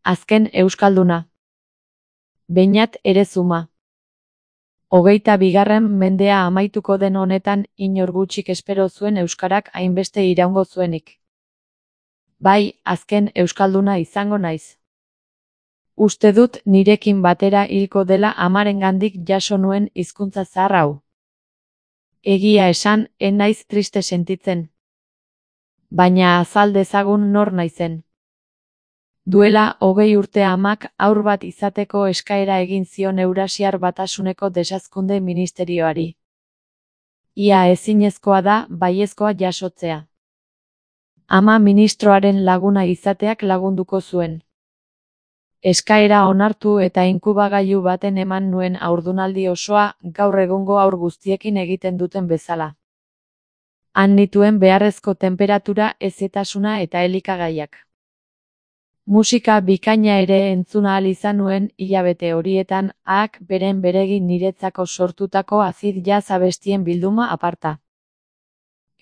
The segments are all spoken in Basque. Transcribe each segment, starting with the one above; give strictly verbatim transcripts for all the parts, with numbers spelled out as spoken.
Azken euskalduna. Beñat Erezuma. Hogeita bigarren mendea amaituko den honetan inor gutxik espero zuen euskarak hainbeste iraungo zuenik. Bai, azken euskalduna izango naiz. Uste dut nirekin batera hilko dela amarengandik jaso nuen hizkuntza zahar hau. Egia esan, ez naiz triste sentitzen. Baina azal dezagun nor naizen. Duela hogei urte amak haur bat izateko eskaera egin zion Eurasiar Batasuneko Desazkunde Ministerioari. Ia ezinezkoa da baiezkoa jasotzea. Ama ministroaren laguna izateak lagunduko zuen. Eskaera onartu eta inkubagailu baten eman nuen haurdunaldi osoa gaur egungo haur guztiekin egiten duten bezala. Han nituen beharrezko tenperatura, hezetasuna eta elikagaiak. Musika bikaina ere entzun ahal izan nuen hilabete horietan, ahak beren beregi niretzako sortutako acid jazz abestien bilduma aparta.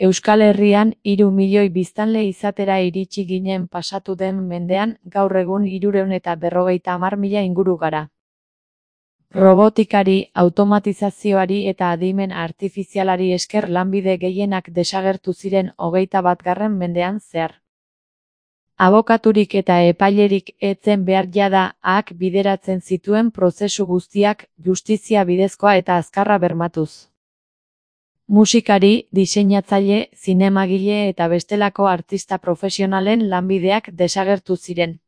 Euskal Herrian hiru milioi biztanle izatera iritsi ginen pasatu den mendean, gaur egun hirurehun eta berrogeita hamar mila inguru gara. Robotikari, automatizazioari eta adimen artifizialari esker lanbide gehienak desagertu ziren hogeita batgarren mendean zehar. Abokaturik eta epailerik ez zen behar jada, ahak bideratzen zituen prozesu guztiak justizia bidezkoa eta azkarra bermatuz. Musikari, diseinatzaile, zinemagile eta bestelako artista profesionalen lanbideak desagertu ziren.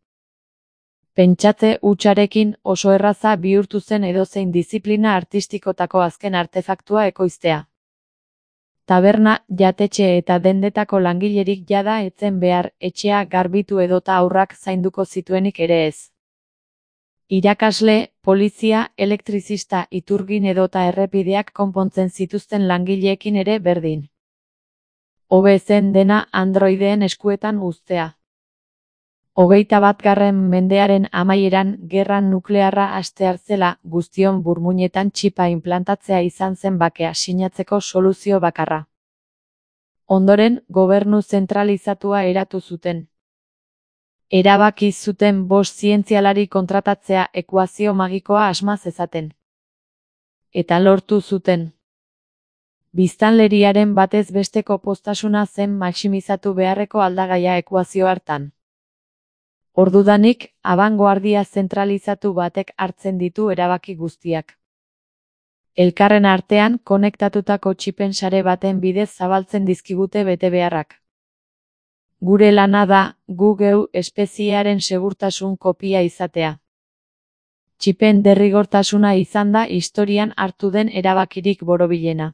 Pentsatze hutsarekin oso erraza bihurtu zen edozein diziplina artistikotako azken artefaktua ekoiztea. Taberna, jatetxe eta dendetako langilerik jada ez zen behar, etxea garbitu edota haurrak zainduko zituenik ere ez. Irakasle, polizia, elektrizista, iturgin edota errepideak konpontzen zituzten langileekin ere berdin. Hobe zen dena androideen eskuetan uztea. Hogeita batgarren mendearen amaieran gerra nuklearra hastear zela, guztion burmuinetan txipa inplantatzea izan zen bakea sinatzeko soluzio bakarra. Ondoren, gobernu zentralizatua eratu zuten. Erabaki zuten bost zientzialari kontratatzea ekuazio magikoa asma zezaten. Eta lortu zuten. Biztanleriaren batez besteko poztasuna zen maximizatu beharreko aldagaia ekuazio hartan. Ordudanik, abangoardia zentralizatu batek hartzen ditu erabaki guztiak. Elkarren artean konektatutako txipen sare baten bidez zabaltzen dizkigute betebeharrak. Gure lana da, gu geu espeziearen segurtasun kopia izatea. Txipen derrigortasuna izan da historian hartu den erabakirik borobilena.